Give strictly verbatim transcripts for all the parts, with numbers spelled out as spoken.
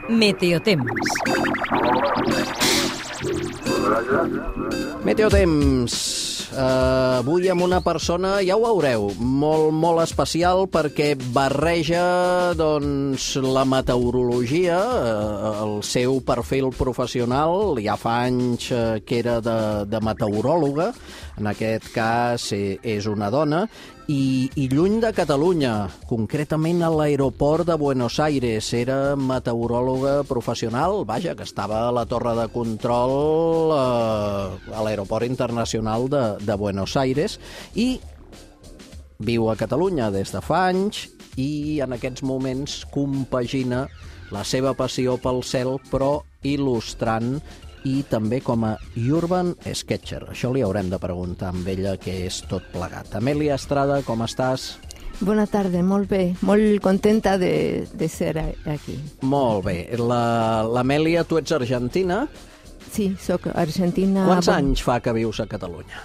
Meteotemps. Meteotemps. Uh, avui amb una persona, ja ho veureu, molt, molt especial perquè barreja doncs, la meteorologia, uh, el seu perfil professional, ja fa anys uh, que era de, de meteoròloga, en aquest cas eh, és una dona, i, i lluny de Catalunya, concretament a l'aeroport de Buenos Aires. Era meteoròloga professional, vaja, que estava a la torre de control eh, a l'aeroport internacional de, de Buenos Aires, i viu a Catalunya des de fa anys i en aquests moments compagina la seva passió pel cel, però il·lustrant i també com a urban sketcher. Això li haurem de preguntar amb ella què és tot plegat. Amèlia Estrada, com estàs? Bona tarda, molt bé. Molt contenta de, de ser aquí. Molt bé. L'Amèlia, tu ets argentina? Sí, soc argentina. Quants anys fa que vius a Catalunya?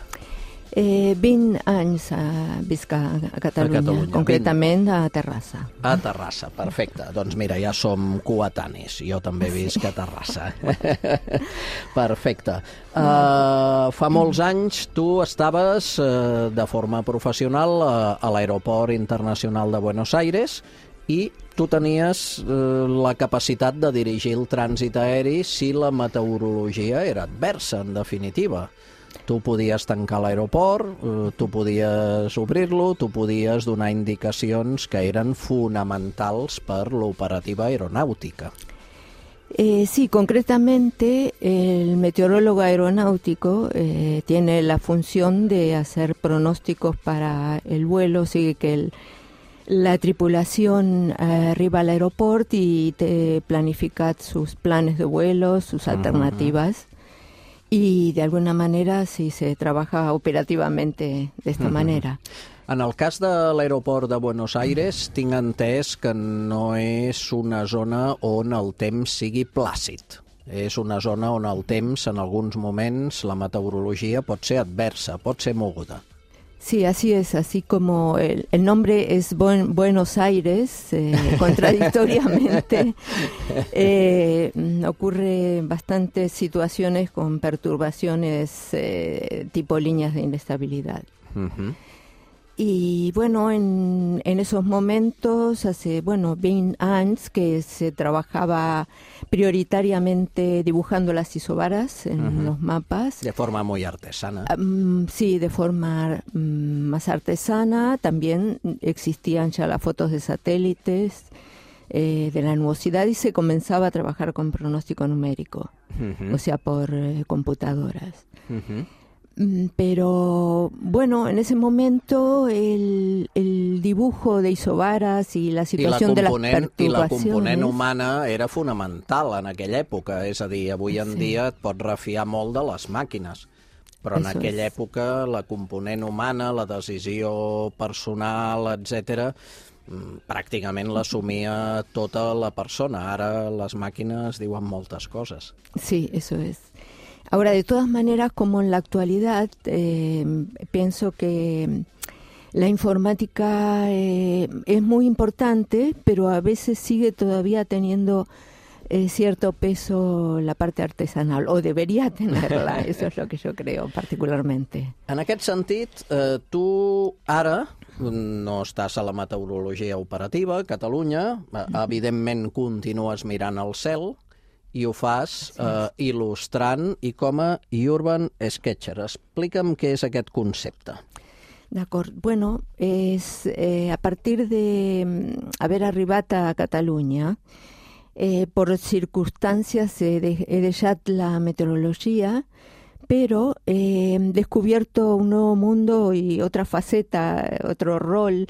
Eh, vint anys a visc a, a, Catalunya, a Catalunya, concretament vint. A Terrassa. A Terrassa, perfecte. Doncs mira, ja som coetanis. Jo també visc a Terrassa. Perfecte. Uh, fa molts anys tu estaves uh, de forma professional uh, a l'aeroport internacional de Buenos Aires i tu tenies uh, la capacitat de dirigir el trànsit aeri si la meteorologia era adversa, en definitiva. Tu podies tancar l'aeroport, eh, tu podies obrir-lo, tu podies donar indicacions que eren fonamentals per l'operativa aeronáutica. Eh, sí, concretamente el meteorólogo aeronáutico eh, tiene la función de hacer pronósticos para el vuelo, así que el, la tripulación eh, arriba al aeropuerto y te planifica sus planes de vuelo, sus alternativas. Uh-huh. I d'alguna manera sí se trabaja operativamente d'esta uh-huh. manera. En el cas de l'aeroport de Buenos Aires, tinc entès que no és una zona on el temps sigui plàcid. És una zona on el temps, en alguns moments, la meteorologia pot ser adversa, pot ser moguda. Sí, así es, así como el, el nombre es Buen, Buenos Aires, eh, contradictoriamente, eh, ocurre bastantes situaciones con perturbaciones eh, tipo líneas de inestabilidad. Uh-huh. Y bueno, en, en esos momentos, hace, bueno, veinte años que se trabajaba prioritariamente dibujando las isobaras en uh-huh. los mapas. De forma muy artesana. Um, sí, de forma um, más artesana. También existían ya las fotos de satélites eh, de la nubosidad y se comenzaba a trabajar con pronóstico numérico, uh-huh. o sea, por eh, computadoras. Uh-huh. Pero bueno, en ese momento el, el dibujo de isobaras i la situació de les perturbacions... I la component humana era fonamental en aquella època, és a dir, avui en sí. dia et pots refiar molt de les màquines, però en Eso aquella es. època la component humana, la decisió personal, etcètera, pràcticament l'assumia tota la persona. Ara les màquines diuen moltes coses. Sí, eso es. Ahora, de todas maneras, como en la actualidad, eh, pienso que la informática eh, es muy importante, pero a veces sigue todavía teniendo eh, cierto peso la parte artesanal, o debería tenerla, eso es lo que yo creo particularmente. En aquest sentit, eh, tu ara no estàs a la meteorologia operativa a Catalunya, eh, evidentment continues mirant al cel, i ho fas eh, il·lustrant i com a urban sketcher. Explica'm què és aquest concepte. D'acord. Bueno, és, eh, a partir de haver arribat a Catalunya, eh, por circunstancias he, de, he deixat la meteorologia, pero he descubierto un nuevo mundo y otra faceta, otro rol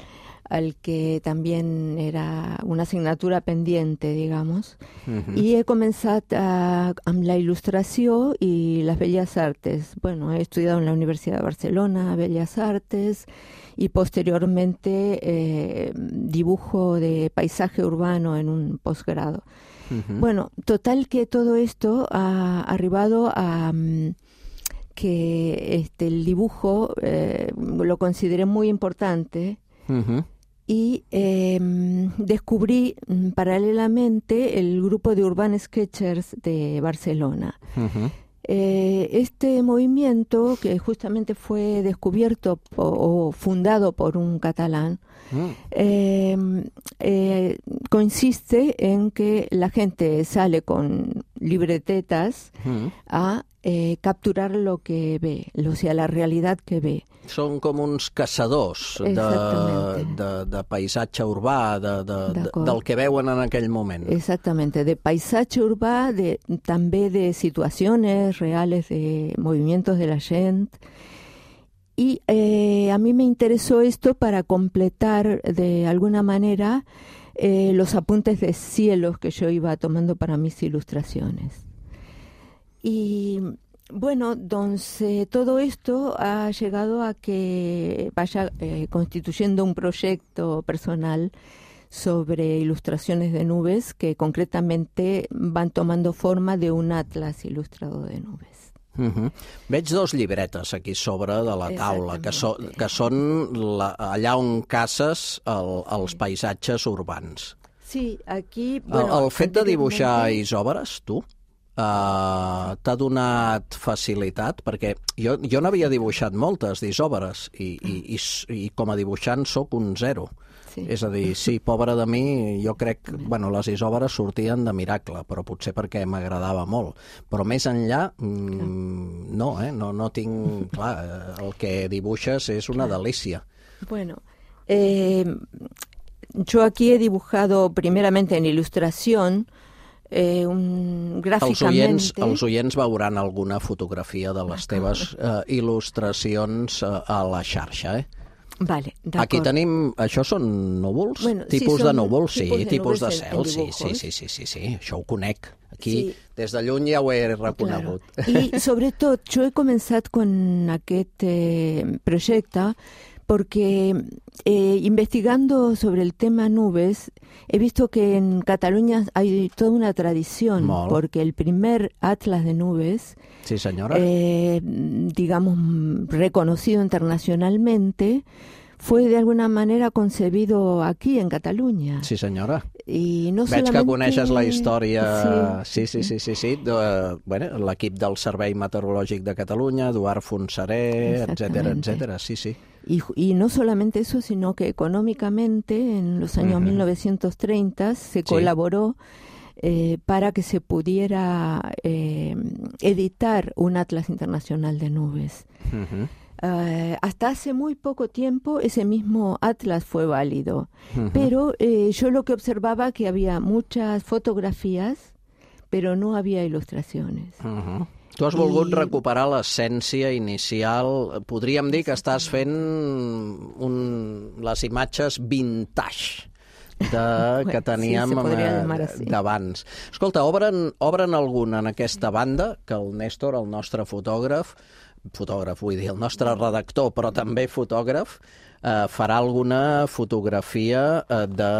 al que también era una asignatura pendiente, digamos, uh-huh. i he començat a, amb la il·lustració i les belles artes. Bueno, he estudiado en la Universidad de Barcelona Bellas Artes y posteriormente eh, dibujo de paisaje urbano en un posgrado. Uh-huh. Bueno, total que todo esto ha arribado a um, que este, el dibujo eh, lo consideré muy importante. Uh-huh. y eh, descubrí paralelamente el grupo de Urban Sketchers de Barcelona. Uh-huh. Eh, este movimiento, que justamente fue descubierto o, o fundado por un catalán, mm. eh, eh, consiste en que la gente sale con libretetas mm. a eh, capturar lo que ve, o sea, la realidad que ve. Són com uns caçadors de, de, de paisatge urbà, de, de, de, del que veuen en aquell moment. Exactamente, de paisaje urbà, de, també de situaciones reales, de movimientos de la gente. Y eh, a mí me interesó esto para completar de alguna manera eh, los apuntes de cielos que yo iba tomando para mis ilustraciones. Y bueno, entonces todo esto ha llegado a que vaya eh, constituyendo un proyecto personal sobre ilustraciones de nubes que concretamente van tomando forma de un atlas ilustrado de nubes. Uh-huh. Veig dos llibretes aquí sobre de la taula, que, so, que són la, allà on caces el, els paisatges urbans. Sí, aquí... Bueno, el, el fet de dibuixar isòbares, tu, Uh, t'ha donat facilitat? Perquè jo, jo n'havia dibuixat moltes d'isòbares i, i, i, i com a dibuixant sóc un zero. Sí. És a dir, sí, pobre de mi, jo crec que bueno, les isòbares sortien de miracle, però potser perquè m'agradava molt. Però més enllà, mm, no, eh? no, no tinc... Clar, el que dibuixes és una delícia. Bueno, eh, yo aquí he dibujado primeramente en ilustración. Eh, un, gràficament... Els oients, els oients veuran alguna fotografia de les teves eh, il·lustracions eh, a la xarxa, eh? Vale, d'acord. Aquí tenim... Això són núvols? Bueno, tipus sí, de núvols? Sí, de tipus de cel. Sí, sí, sí, sí, sí, sí, això ho conec. Aquí, sí. Des de lluny ja ho he reconegut. Claro. I sobretot, jo he començat con aquest eh, projecte porque eh, investigando sobre el tema nubes, he visto que en Cataluña hay toda una tradición, Molt. porque el primer atlas de nubes, sí, señora. Eh, digamos, reconocido internacionalmente, fue de alguna manera concebido aquí en Cataluña. Sí, senyora. I no Veig solamente... que coneixes la història... Sí, sí, sí, sí, sí, sí. De, bueno, l'equip del Servei Meteorològic de Catalunya, Eduard Fonseré, etcètera, etcètera, sí, sí. Y, y no solamente eso, sino que económicamente en los años uh-huh. mil novecientos treinta se sí. colaboró eh, para que se pudiera eh, editar un atlas internacional de nubes. Uh-huh. Uh, hasta hace muy poco tiempo ese mismo atlas fue válido, uh-huh. pero eh, yo lo que observaba que había muchas fotografías, pero no había ilustraciones. Uh-huh. Tu has volgut I... recuperar l'essència inicial. Podríem dir que estàs fent un... les imatges vintage de... que teníem bueno, sí, d'abans. Escolta, obren, obren alguna en aquesta banda, que el Néstor, el nostre fotògraf, fotògraf vull dir, el nostre redactor, però també fotògraf, eh, farà alguna fotografia eh, de,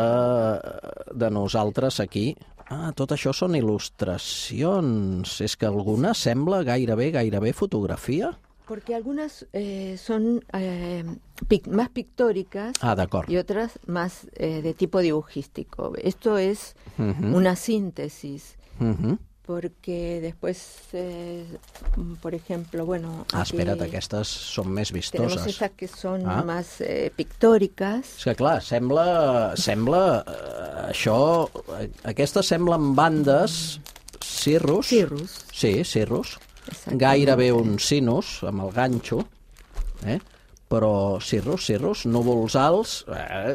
de nosaltres aquí. Ah, tot això són il·lustracions. És que alguna sembla gairebé, gairebé fotografia. Porque algunas eh, son eh, pic más pictóricas ah, y otras más eh, de tipo dibujístico. Esto es uh-huh. una síntesis. Uh-huh. Porque después, eh, por ejemplo, bueno... Ah, espera't, aquestes són més vistoses. Tenemos estas que són ah. más eh, pictòriques. És que, clar, sembla... sembla eh, això... Aquestes semblen bandes cirrus. Cirrus. Sí, cirrus. Gairebé un sinus, amb el ganxo, eh? Però cirrus, cirrus, núvols alts, eh,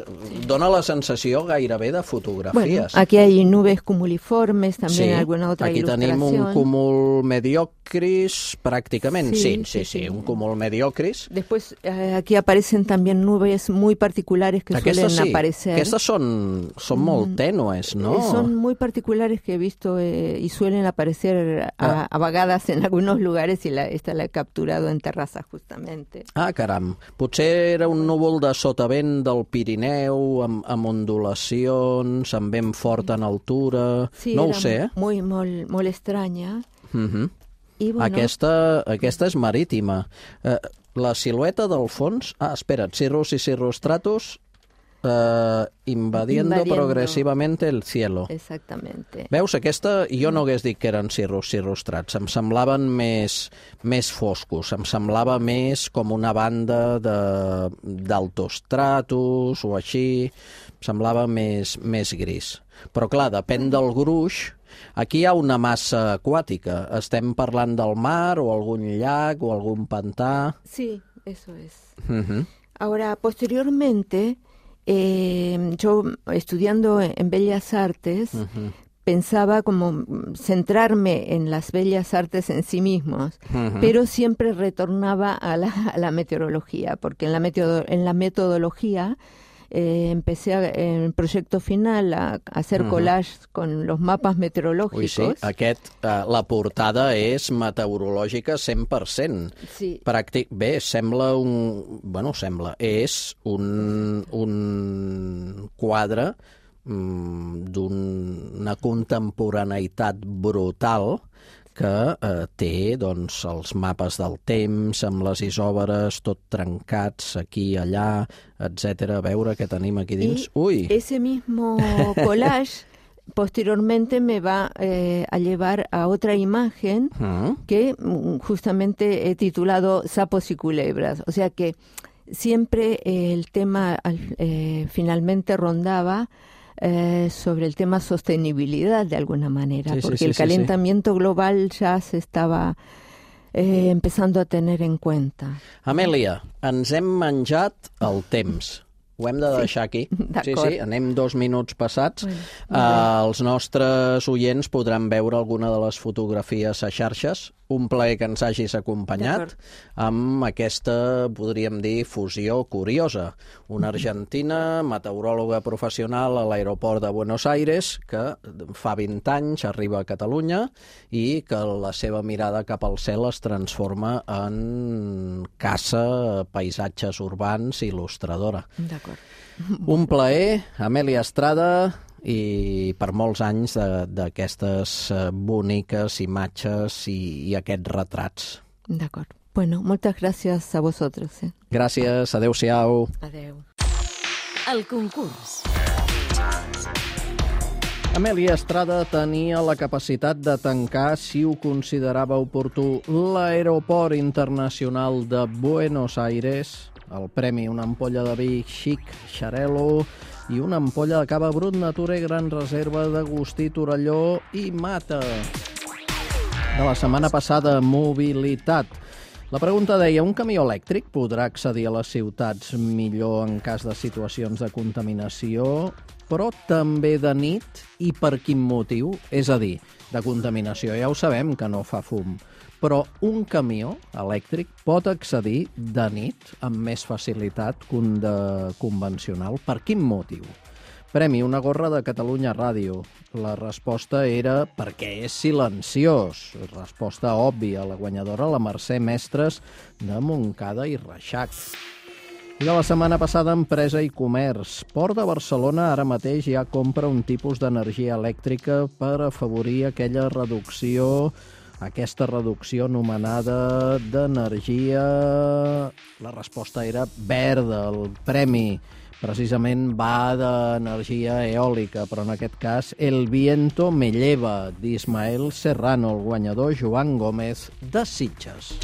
dona la sensació gairebé de fotografies. Bueno, aquí hay nubes cumuliformes, també sí, alguna otra aquí ilustración. Tenim un cúmul mediocris, pràcticament, sí, sí, sí, sí, sí un cúmul mediocris. Después eh, aquí aparecen también nubes muy particulares que aquestes suelen sí. aparecer. Aquestes són, són molt tènues, ¿no? Eh, son muy particulares que he visto eh, y suelen aparecer a, a vagadas en algunos lugares y la, esta la he capturado en terrazas justamente. Ah, caram. Potser era un núvol de sotavent del Pirineu, amb, amb ondulacions, amb vent fort en altura... Sí, no ho sé, eh? Muy, molt, molt estranya. Uh-huh. I, bueno, aquesta, aquesta és marítima. Eh, la silueta del fons... Ah, espera't, Cirrus i Cirrostratus uh, invadiendo, invadiendo progressivamente el cielo. Exactamente. Veus, aquesta, jo no hagués dit que eren cirrus cirrostrats, em semblaven més, més foscos, em semblava més com una banda d'altos tratos o així, em semblava més, més gris. Però clar, depèn del gruix. Aquí hi ha una massa aquàtica. Estem parlant del mar o algun llac o algún pantà. Sí, eso es. Uh-huh. Ahora, posteriormente, eh, yo estudiando en Bellas Artes, uh-huh. pensaba como centrarme en las bellas artes en sí mismos, uh-huh. pero siempre retornaba a la, a la meteorología, porque en la, metodo, en la metodología eh, empecé a, en el proyecto final a, a hacer uh-huh. collage con los mapas meteorológicos. Ui, sí, aquest, uh, la portada és meteorològica cent per cent. Sí. Pràctic, bé, sembla un... Bueno, sembla, és un, un quadre d'una contemporaneïtat brutal que eh, té doncs, els mapes del temps, amb les isòbares, tot trencats, aquí, allà, etcètera. A veure què tenim aquí dins. Y Ui! Ese mismo collage posteriormente me va eh, a llevar a otra imagen uh-huh. que justamente he titulado Sapos y Culebras. O sea que siempre eh, el tema eh, finalmente rondaba Eh, sobre el tema sostenibilidad de alguna manera, sí, porque sí, sí, el calentamiento sí, sí. global ya se estaba eh, empezando a tener en cuenta. Amèlia, ens hem menjat el temps. Ho hem de deixar aquí. Sí, sí, anem dos minuts passats. Bueno, uh, els nostres oients podran veure alguna de les fotografies a xarxes. Un plaer que ens hagis acompanyat amb aquesta, podríem dir, fusió curiosa. Una argentina, meteoròloga professional a l'aeroport de Buenos Aires, que fa vint anys arriba a Catalunya i que la seva mirada cap al cel es transforma en caça, paisatges urbans, il·lustradora. D'acord. Un plaer, Amèlia Estrada, i per molts anys d'aquestes boniques imatges i, i aquests retrats. D'acord. Bueno, moltes gràcies a vosaltres. Eh? Gràcies, adeu-siau. Adeu. El concurs. Amèlia Estrada tenia la capacitat de tancar, si ho considerava oportú, l'aeroport internacional de Buenos Aires. El premi, una ampolla de vi Xic Xarel·lo i una ampolla de cava Brut Natura i Gran Reserva d'Agustí Torelló i Mata. De la setmana passada, mobilitat. La pregunta deia, un camió elèctric podrà accedir a les ciutats millor en cas de situacions de contaminació, però també de nit, i per quin motiu? És a dir, de contaminació ja ho sabem que no fa fum, però un camió elèctric pot accedir de nit amb més facilitat que un de convencional. Per quin motiu? Premi, una gorra de Catalunya Ràdio. La resposta era perquè és silenciós. Resposta òbvia. La guanyadora, la Mercè Mestres de Montcada i Reixac. I de la setmana passada, Empresa i Comerç. Port de Barcelona ara mateix ja compra un tipus d'energia elèctrica per afavorir aquella reducció aquesta reducció anomenada d'energia. La resposta era verda. El premi precisament va d'energia eòlica, però en aquest cas El viento me lleva, d'Ismael Serrano, el guanyador Joan Gómez de Sitges.